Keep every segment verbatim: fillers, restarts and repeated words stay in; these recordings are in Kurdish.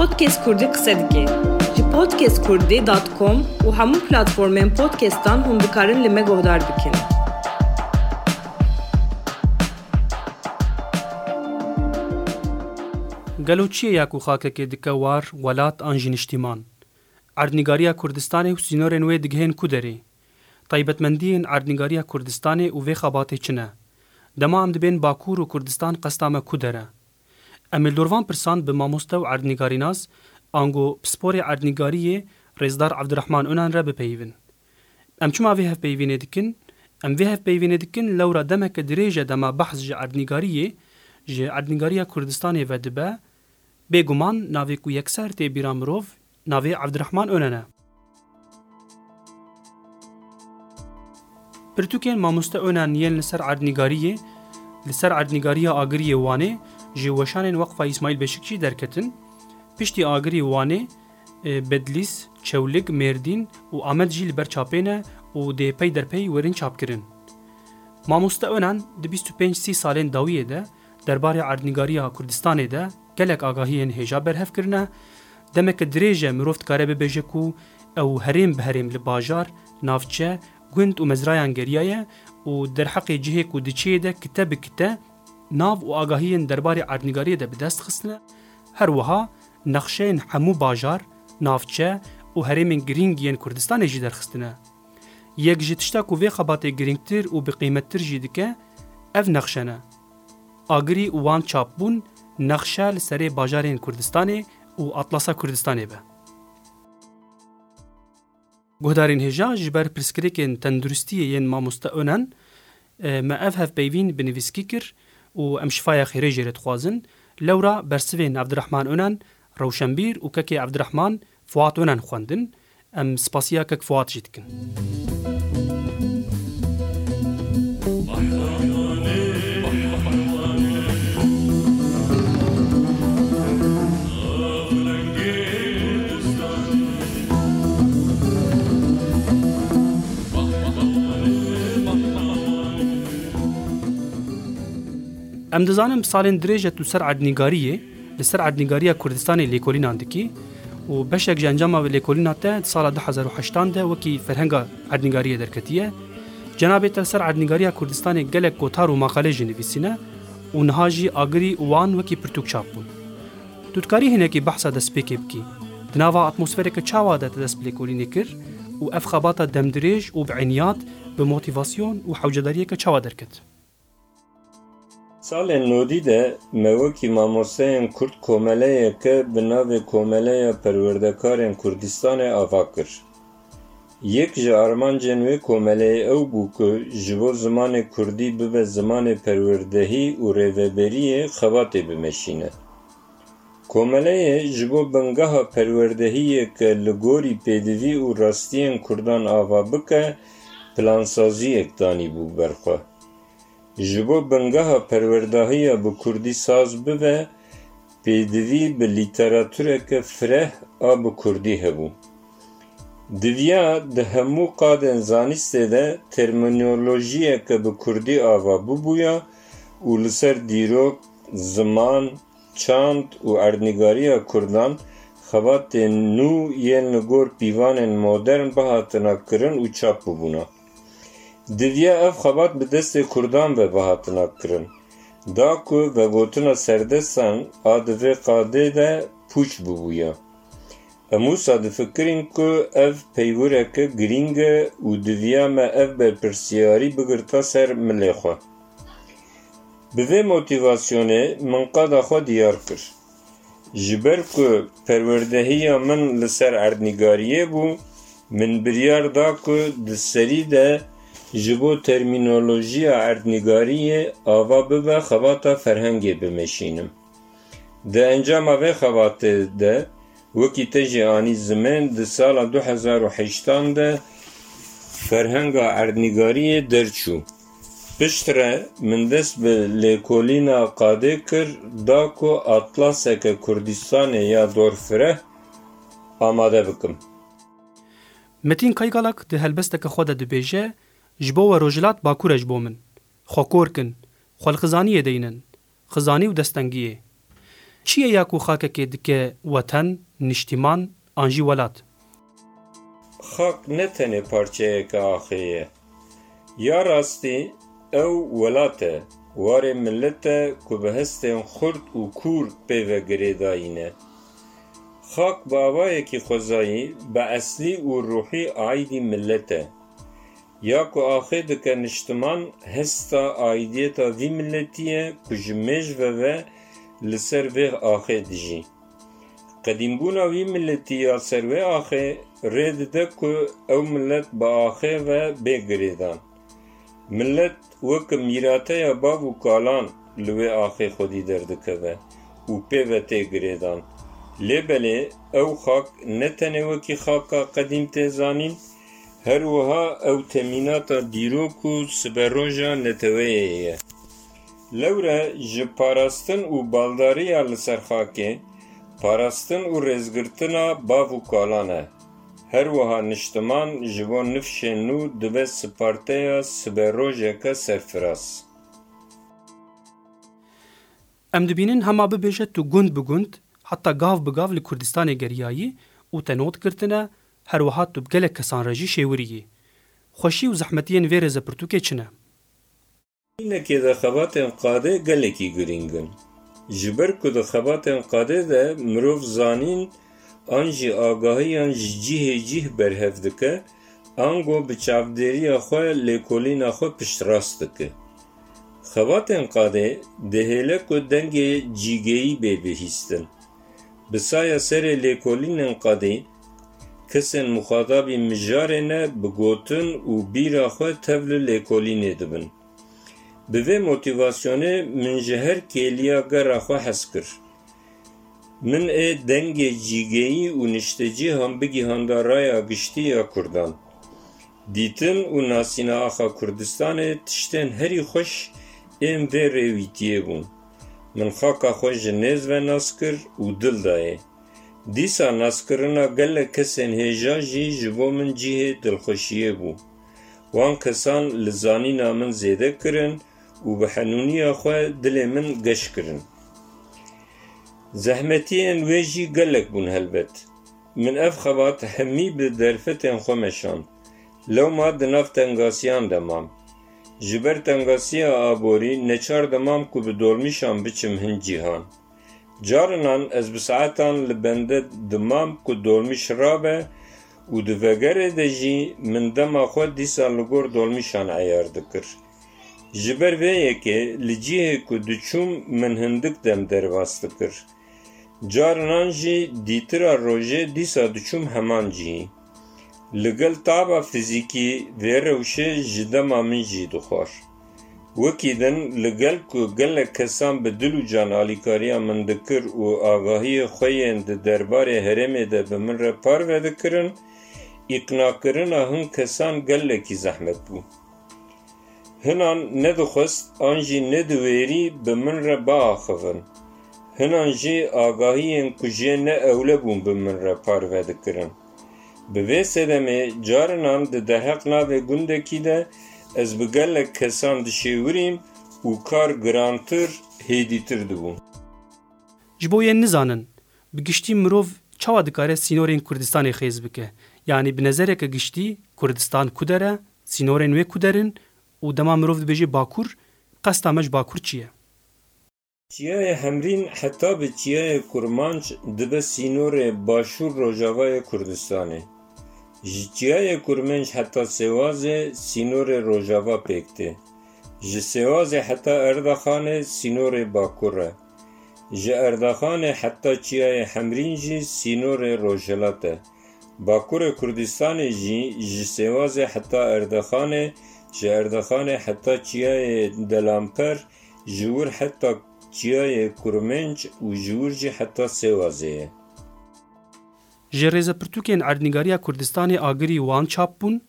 Podcast Kurdî qise dike. Ji podcast kurdî dot com û hemû platformên podcastan hûn dikarin li me guhdar bikin. Gelo çi ye ya ku xakekê dike war, welat an jî niştîman? Erdnîgariya Kurdistanê û sînorên wê digihên ku derê? Taybetmendiyên erdnîgariya Kurdistanê û vê xebatê çi ne? Dema em dibên Bakur û Kurdistan qesta me ku der e? Em ê li dor van pirsan bi mamoste û erdnîgarînas, ango pisporê erdnîgariyê Rêzdar Evdirehman Onan re bipeyivin. Em çima vê hevpeyvînê dikin? Em vê hevpeyvînê dikin lewra demeke dirêj e dema behs ji erdnîgariyê, ji erdnîgariya Kurdistanê ve dibe, bêguman navê ku yekser tê bîra mirov, navê Evdirehman Onan e. Pirtûkên mamoste Onan yên li ser erdnîgariyê, li ser erdnîgariya Agiriyê Wanê ji weşanên Weqfa Îsmaîl Beşikçî derketin. Piştî Agirî Wanê, e, Bedlîs, Çewlig, Mêrdîn û Amed jî li ber çapê ne û dê pey derpey werin çapkirin. Mamoste Onan di bîst û pênc sî salên dawiyê de derbarê erdnîgariya Kurdistanê de gelek agahiyên hêja berhev kirine. Demeke dirêj e mirov dikare bibêje ku ew herêm bi herêm li bajar, navçe, gund û mezrayan geriyaye û derheqê cihê ku diçê de kite bi kite nav û agahiyên derbarê erdnîgariyê de bi dest xistine. Her wiha nexşeyên hemû bajar, navçe û herêmên girîng yên Kurdistanê jî derxistine. Yek ji tişta ku vê xebatê girîngtir û bi qîmettir jî dike, ev nexşe ne. Agirî û Wan çap bûn, nexşe li serê bajarên Kurdistanê û Atlasa Kurdistanê be. Guhdarên hêja, ji ber pirsgirêkên tenduristiyê yên mamoste Onan, e, me ev hevpeyvîn bi nivîskî kir û em şifaya xêrê jê re dixwazin. Lewra bersivên Evdirehman Onan, rewşenbîr û kekê Evdirehman, Fuat Onan xwendin. Em spasiya kek Fuat jî dikin. Em dizanin bi salên dirêj e tu ser erdnîgariyê, li ser erdnîgariya Kurdistanê lêkolînan dikî û beşek ji encama vê lêkolîna te di sala du hezar û heştan de wekî ferhenga erdnîgariyê derketiye. Cenabê te li ser erdnîgariya Kurdistanê gelek gotar û maqale jî nivîsîne û niha jî Agirî û Wan wekî pirtûk çap bûn. Tu dikarî hinekî behsa destpêkê bikî? Di nava atmosfereke çawa de te dest bi lêkolînê kir û ev xebata demdirêj û bi eniyat, bi motîvasyon û hewcedariyeke çawa derket? Salên nodî de me wekî mamosteyên Kurd komeleyeke bi navê Komeleya Perwerdekarên Kurdistanê ava kir. Yek ji armancên wê komeleyê ew bû ku ji bo zimanê Kurdî bibe zimanê perwerdehî û rêveberiyê xebatê bimeşîne. Komeleyê ji bo bingeha perwerdehiyeke li gorî pêdivî û rastiyên Kurdan ava bike, plansaziyek danîbû ber xwe. Ji bo bingeha perwerdahiya bi Kurdî saz bibe, pêdivî bi lîteratureke fireh a bi Kurdî hebû. Diviya di hemû qadên zanîstê de termînolojiyeke bi Kurdî ava bibûya û li ser dîrok, ziman, çand û erdnîgariya Kurdan xebatên nû yên li gor pîvanên modern bihatina kirin û çap bibûna. Diviya ev xebat bi destê Kurdan ve bihatina kirin, da ku vegotina serdestan a di vê qadê de pûç bibûya. Em wisa difikirîn ku ev peywireke girîng e û diviya me ev berpirsiyarî bigirta ser milê xwe. Bi vê motîvasyonê min qada xwe diyar kir. Ji ber ku perwerdehiya min li ser erdnîgariyê bû, min biryar da ku di serî de ji bo termînolojiya erdnîgariyê ava bibe xebata ferhengê bimeşînim. Di encama vê xebatê de, wekî te jî anî zimên, di sala du hezar û heştan de ferhenga erdnîgariyê derçû. Piştre min dest bi lêkolîna qadê kir, da ku atlaseke Kurdistanê ya dorfireh amade bikim. Metîn Kaygalak di helbesteke xwe de dibêje, ji bo we rojhilat bakur e ji bo min. Xwe kor kin, xwe li xizaniyê deynin. Xizanî û destengiyê. Çi ye ya ku xakekê dike weten, niştîman an jî welat? Xak ne tenê parçeyeke axê ye. Ya rastî ew welat e, warê milet e ku bi hestên xurt û kûr pê ve girêdayî ne. Xak bi avayekî xwezayî, bi eslî û ruhî aîdî milet e. Ya ku axê dike niştiman, hesta aîdiyeta vî miletî ye ku ji mêj ve ve li ser vê axê dijî. Qedîmbûna vî miletî ya ser wê axê rê dide ku ew milet bi axê ve bê girêdan. Milet weke mîrateya bav û kalan li wê axê xwedî derdikeve û pê ve tê girêdan. Lê belê ew xak ne tenê wekî xaka qedîm tê zanîn, her wiha ew temînata dîrok û siberoja neteweyê ye. Lewre ji parastin û baldariya li ser xakê, parastin û rêzgirtina bav û kalan e. Her wiha niştiman ji bo nifşên nû dibe siparteya siberojeke serfiraz. Em dibînin hema bibêje tu gund bi gund, heta gav bi gav li Kurdistanê geriyayî û te not girtine, her wiha tu bi gelek kesan re jî şêwirî yî. Xweşî û zehmetiyên vê rêzepirtûkê çi ne? Nînekê de xebatên qadê gelekî girîng in. Ji ber ku di xebatên qadê de mirov zanîn an jî agahiyan ji cihê cih berhev dike, ango bi çavdêriya xwe lêkolîna xwe piştrast dike. Xebatên qadê dihêle ku dengê cîgeyî bê bihîstin. Bi saya serê lêkolînên qadê, kesên muxatabî mijarê ne bi gotin û bîra xwe tevli lêkolînê dibin. Bi vê motîvasyonê min ji her kêliya gera xwe hez kir. Min ê dengê cîgeyî û niştecîhan bigihanda raya giştî ya Kurdan. Dîtin û nasîna axa Kurdistanê tiştên herî xweş ên vê rêwîtiyê bûn. Min xaka xwe ji nêz ve nas kir û dil dayê. Dîsa naskirina gelek kesên hêja jî ji bo min cihê dilxweşiyê bû. Wan kesan li zanîna min zêde kirin û bi henûniya xwe dilê min geş kirin. Zehmetiyên wê jî gelek bûn helbet. Min ev xebat hemî bi derfetên xwe meşand. Lewma di nav tengasiyan de mam. Ji ber tengasiya aborî neçar dimam ku bi dolmîşan biçim hin cîhan. Carinan ez bi saetan li bende dimam ku dolmîş rabe û di vegerê de jî min dema xwe dîsa li gor dolmîşan eyar dikir. Ji ber vê yekê li cihê ku diçûm min hindik dem derbas dikir. Carinan jî dîtira rojê dîsa diçûm heman cihî. Li gel taba fizîkî vê rewşê ji dema min jî dixwar. Wekî din li gel ku gelek kesan bi dil û can alîkariya min dikir û agahiyê xwe yên di derbarê herêmê de bi min re parve dikirin, îqnakirina hin kesan gelekî zehmet bû. Hinan nedixwest an jî nediwêrî bi min re biaxivin. Hinan jî agahiyên ku jê ne ewle bûn bi min re parve dikirin. Bi vê sedemê carinan di derheq navê gundekî de ez bi gelek kesan dişêwirîm û kar girantir, hêdîtir dibû. Ji bo yên nizanin, bi giştî mirov çawa dikare sînorên Kurdistanê xêz bike? Yanî bi nezereke giştî Kurdistan ku der e, sînorên wê ku der in û dema mirov dibêje Bakur, qesta me ji Bakur çi ye? Çiyayê Hemrîn heta bi Çiyayê Kurmanc dibe sînorê başûr rojavayê Kurdistanê. Ji Çiyayê Kurmenc heta Sêwazê sînorê rojava pêk tê. Ji Sêwazê heta Erdaxanê sînorê bakur e. Ji Erdaxanê heta Çiyayê Hemrîn jî sînorê rojhilat e. Bakurê Kurdistanê jî ji Sêwazê heta Erdaxanê, ji Erdaxanê heta Çiyayê Delamper, ji wir heta Çiyayê Kurmenc û ji wir jî heta Sêwazê ye. Ji rêzepirtûkên erdnîgariya Kurdistanê agirî wan çap bûn,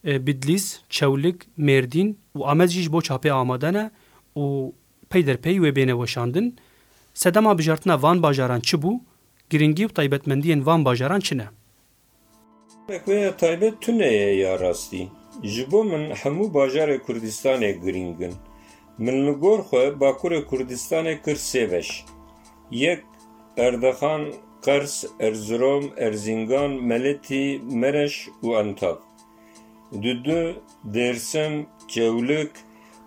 e, Bidlîs, Çewlik, Mêrdîn û Amed jî ji bo çapê amade ne û peyderpey wê bêne weşandin. Sedema bijartina van bajaran çi bû? Girîngî û taybetmendiyên van bajaran çi ne? Wek vê ya taybet tune ye ya rastî. Ji bo min hemû bajarê Kurdistanê girîng in. Min li gor xwe Bakurê Kurdistanê kir sê beş. Yek, Erdexan, Qers, Erzurum, Erzingan, Meletî, Mereş û Entab. Dudu, Dêrsim, Çewlik,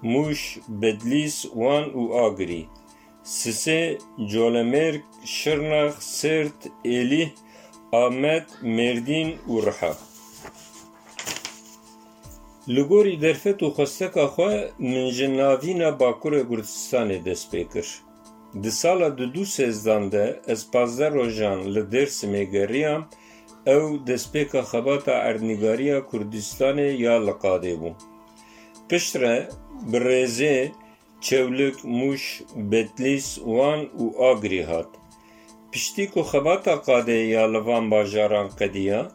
Mûş, Bedlîs, Wan û Agirî. Sisê, Colemêrg, Şirnex, Sêrt, Êlîh, Amed, Mêrdîn û Riha. Li gorî derfet û xwesteka xwe min ji navîna Bakurê Kurdistanê dest pê kir. Di sala du du sêzdan de ez pazdeh rojan li Dêrsimê geriyam, ew destpêka xebata erdnîgariya Kurdistanê ya li qadê bû. Piştre bi rêzê Çewlik, Mûş, Betlîs, Wan û Agirî hat. Piştî ku xebata qadê ya li van bajaran qediya,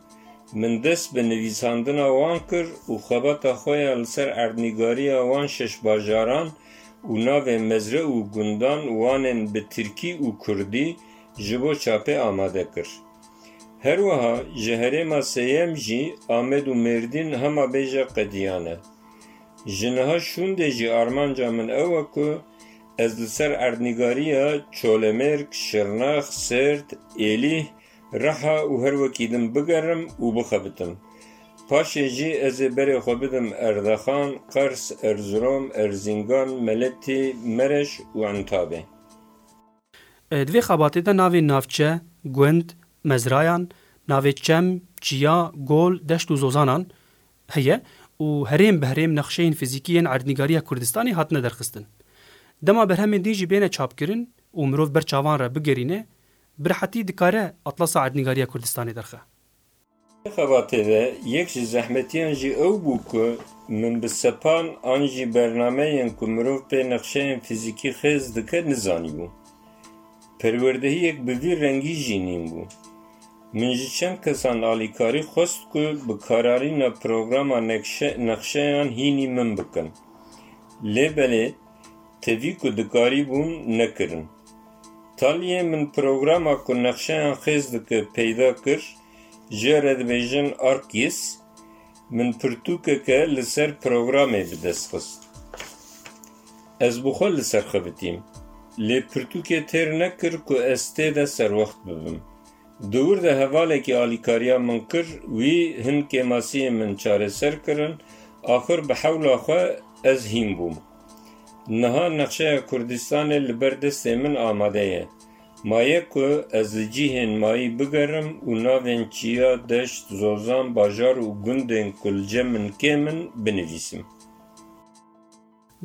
min dest bi nivîsandina wan kir û xebata xwe ya li ser erdnîgariya wan şeş bajaran û navê mezre û gundan wanên bi tirkî û kurdî ji bo çapê amade kir. Her wiha ji herêma sêyem jî Amed û Mêrdîn hema bêje qediyane. Ji niha şûndê jî armanca min ew e ku ez li ser erdnîgariya Çolemêrg, Şirnex, Sêrt, Êlîh, Riha û her wekî din bigerim û bixebitim. Paşê jî ez ê berê xwe bidim Erdexan, Qers, Erzurum, Erzingan, Meletî, Mereş û Entabê. E, di vê xebatê de navê navçe, gund, mezrayan, navê çem, çiya, gol, deşt û zozanan heye û herêm bi herêm nexşeyên fîzîkî yên erdnîgariya Kurdistanê hatine derxistin. Dema berhemên din jî bêne çapkirin û mirov ber çavan re bigerîne, bi rehetî dikare Atlasa Erdnîgariya Kurdistanê derxe. Di xebatê de yek ji zehmetiyan jî ew bû ku min bi sepan an jî bernameyên ku mirov pê nexşeyên fîzîkî xêz dike nizanîbû. Perwerdehiyek bi vî rengî jî nîn bû. Min ji çend kesan alîkarî xwest ku bi kararîna programa nekşe-, nexşeyan hînî min bikin. Lê belê tevî ku dikarîbûn nekirin. Taliyê min programa ku nexşeyan xêz dike peyda kir, jê re dibêjin ArcGIS, min pirtûkeke li ser programê bi dest xist. Ez bi xwe li ser xebitîm, lê pirtûkê têr nekir ku ez tê de serwext bibim. Di wir de hevalekî alîkariya min kir, wî hin kêmasiyên min çareser kirin, axir bi hewla xwe ez hîn bûm. Niha nexşeya Kurdistanê li ber destê min amade ye. Maye ku ez li cihên mayî bigerim û navên çiya, deşt, zozan, bajar û gundên ku li cem min kêm in binivîsim.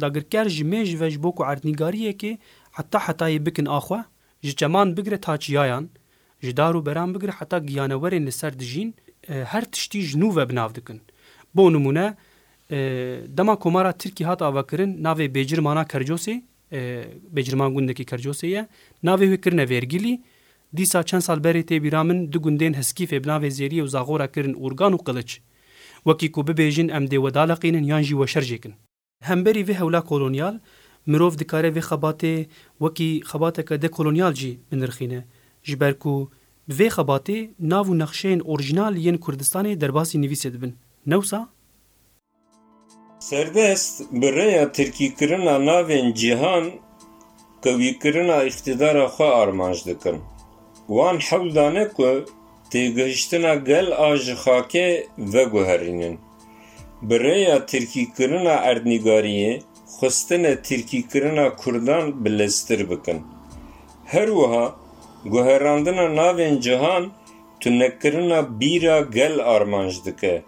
Dagirker ji mêj ve ji bo ku erdnîgariyekê heta hetayê bikin a xwe, ji çeman bigire ta çiyayan, ji dar û beran bigire heta giyanewerên li ser dijîn, e, her tiştî ji nû ve bi nav dikin. Bo nimûne, e, dema Komara Tirkî hat avakirin, navê Bêcirmana Kercosê, e, Bêcirman gundekî Kercosê ye, navê wê kirine Vêrgilî. Dîsa çend sal berê tê bîra min du gundên Heskîfê bi navê Zêriyê û Zaxora kirin Urgan û Qiliç. Wekî ku bibêjin em dê we daleqînin yan jî we şer jêkin. Hemberî vê hewla kolonyal, mirov dikare vê xebatê wekî xebateke dekolonyal jî binirxîne, ji ber ku bi vê xebatê nav û nexşeyên orjînal yên Kurdistanê derbasî nivîsê dibin. Ne wisa? Serdest bi rêya tirkîkirina navên cîhan qewîkirina îqtîdara xwe armanc dikin. Wan hewl dane ku têgihiştina gel a ji xakê veguherînin. Bi rêya tirkîkirina erdnîgariyê xwestine tirkîkirina kurdan bileztir bikin. Her wiha guherandina navên cihan tunekirina bîra gel armanc dike.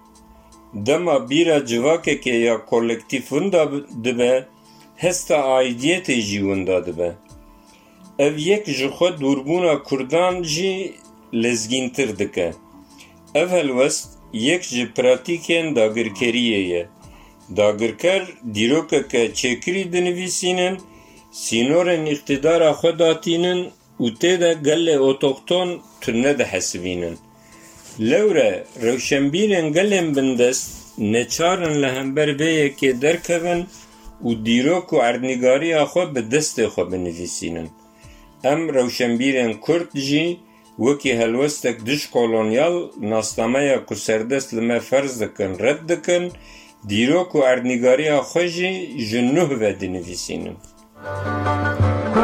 Dema bîra civakekê ya kolektîf winda bi-, dibe, hesta aîdiyetê jî winda dibe. Ev yek ji xwe dûrbûna kurdan jî lezgîntir dike. Ev helwest yek ji pratîkên dagirkeriyê ye. Dagirker dîrokeke çêkirî dinivîsînin, sînorên îqtîdara xwe datînin û tê de gelê otoxton tune dihesibînin. Lewre rewşenbîrên gelên bindest neçar in li hember vê yekê derkevin û dîrok û erdnîgariya xwe bi destê xwe binivîsînin. Em rewşenbîrên kurd jî wekî helwestek dijkolonyal nasnameya ku serdest li me ferz dikin, red dikin, dîrok û erdnîgariya xwe jî ji nuh ve dinivîsînin.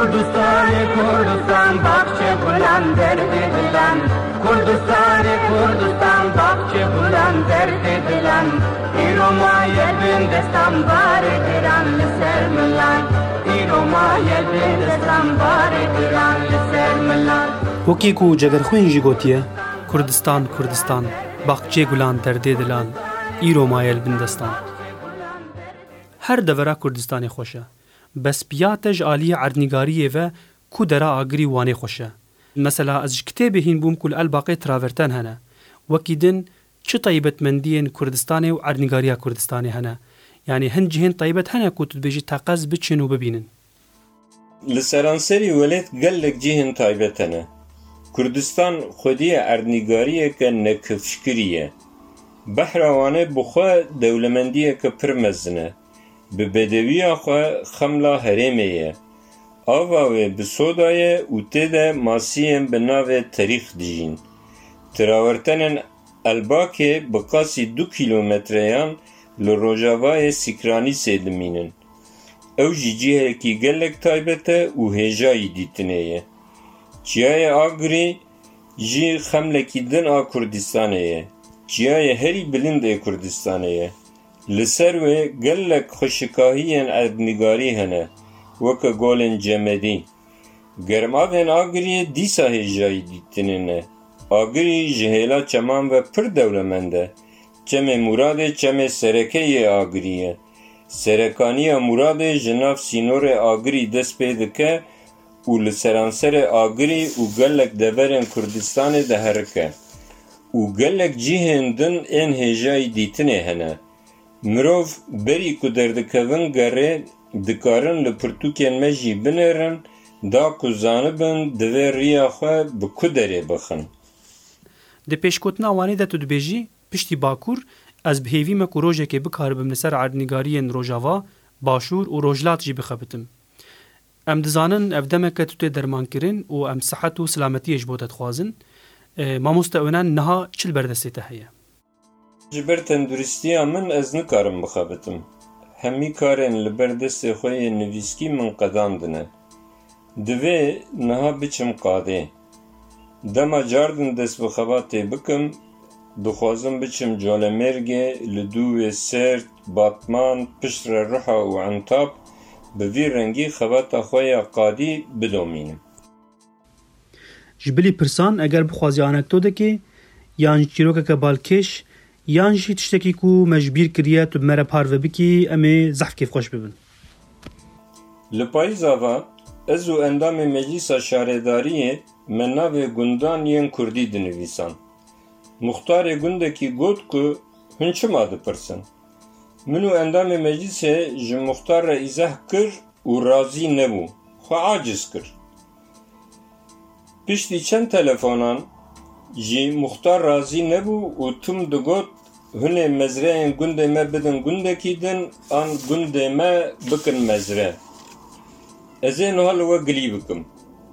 Kurdistanê Kurdistan, baxçe gulan, derdê dilan. Kurdistanê Kurdistan, baxçe gulan, derdê dilan. Îro maye bin destan, barê giran li ser milan. Îro maye bin destan, barê giran li ser milan. Wekî ku Cegerxwîn jî gotiye, Kurdistan, Kurdistan, baxçê gulan, derdê dilan. Îro maye li bin destan. Her devera Kurdistanê xweş e. Bes piya te ji aliyê erdnîgariyê ve ku dera Agirî û Wanê xweş e. Mesela ez ji kitêbê hîn bûm ku li Elbaqê traverten hene. Wekî din çi taybetmendiyên Kurdistanê û erdnîgariya Kurdistanê hene? Yanî hin cihên taybet hene ku tu dibêjî teqez biçin û bibînin? Li seranserî welêt gelek cihên taybet hene. Kurdistan xwediyê erdnîgariyeke nekifşkirî ye. Behra Wanê bi xwe dewlemendiyeke pir mezin e. Bi bedewiya xwe xemla herêmê ye. Ava wê bi soda ye û tê de masiyên bi navê Terîx dijîn. Trawertenên Elbakê bi qasî du kîlometreyan li rojavayê Sîkranîsê dimînin. Ew jî cihekî gelek taybet e û hêjayî dîtinê ye. Çiyayê Agirî jî xemlekî din a Kurdistanê ye. Çiyayê herî bilind ê Kurdistanê ye. Li ser wê gelek xweşikahiyên erdnîgarî hene, weke golên cemedî. Germavên Agiriyê dîsa hêjayî dîtinê ne. Agirî ji hêla çeman ve pir dewlemend e. Çemê Muradê çemê sereke yê Agirî ye. Serekaniya Muradê ji nav sînorê Agirî dest pê dike û li seranserê Agirî û gelek deverên Kurdistanê diherike û gelek cihên din ên hêjayî dîtinê hene. Mirov berî ku derdikevin gerê, dikarin li pirtûkên me jî binêrin, da ku zanibin divê riya xwe bi ku derê bixin. Di pêşgotina Wanê de tu dibêjî, piştî Bakur, ez bi hêvî me ku rojekê bikaribim li ser erdnîgariyên Rojava, Başûr û Rojhilat jî bixebitim. Em dizanin ev demeke tu tê dermankirin û em sihet û silametiyê ji bo te dixwazin. E, mamoste Onan, niha çi li ber destê te heye? Ji ber tenduristiya min ez nikarim bixebitim. Hemî karên li ber destê xwe yê nivîskî min qedandine. Divê niha biçim qadê. Dema cardin dest bi xebatê bikim, dixwazim biçim Colemêrgê, li dû wê Sêrt, Batman, piştre Riha û Entab bi vî rengî xebata xwe ya qadî bidomînim. Ji bilî pirsan, eger bixwazî anekdoteke, yan çîrokeke balkêş, yan jî tiştekî ku me ji bîr kiriye, tu bi me re parve bikî, em ê zehf kêfxweş bibin. Li payîza ve ez û endamê Meclîsa Şaredariyê me navê gundan yên kurdî dinivîsan. Muxtarê gundekî got ku hûn çima dipirsin? Min û endamê meclîsê ji muxtar re îzeh kir û razî nebû, xwe aciz kir. Piştî çend telefonan jî muxtar razî nebû û tim digot, hûn ê mezreyên gundê me bidin gundekî din an gundê me bikin mezre. Ez ê niha li we gilî bikim.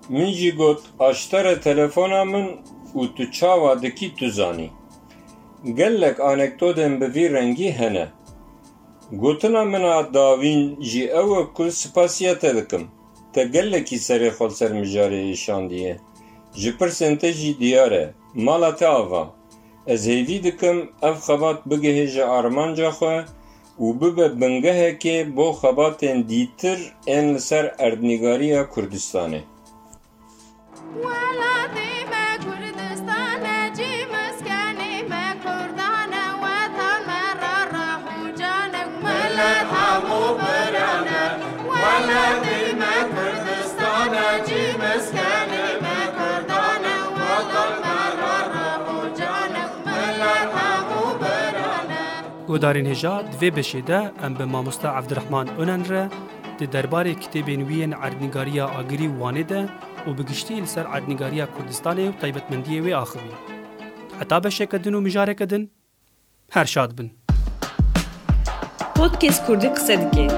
Min jî got, aştere telefona min û tu çawa dikî tu zanî. Gelek anekdotên bi vî rengî hene. Gotina min a dawîn jî ew e ku spasiya te dikim. Te gelekî serê xwe li ser mijarê êşandiye. Ji pirsên te jî diyar e. Mala te ava. Ez hêvî dikim ev xebat bigihêje armanca xwe û bibe bingehekê bo xebatên dîtir ên li ser erdnîgariya Kurdistanê. Welatê me Kurdistan e, cî miskenê me Kurdan e, wetan me ra rah û can e, milet hemû biran e. Welatê me Kurdistan e, cî miskenê me Kurdan e, wetan me ra rah û can e, milet hemû biran e. Guhdarên hêja, di vê beşê de em bi mamoste Evdirehman Onen re di derbarê kitêbên wî yên erdnîgariya Agirî û Wanê de û bi giştî li ser erdnîgariya Kurdistanê û taybetmendiyê wê axivî. Heta beşeke din û mijareke din, her şad bin. Podcast Kurdî qise dike.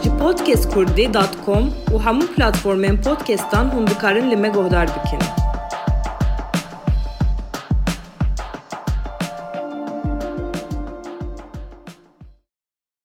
Ji podcast kurdî dot com û hemû platformên podcastan hûn dikarin li me guhdar bikin.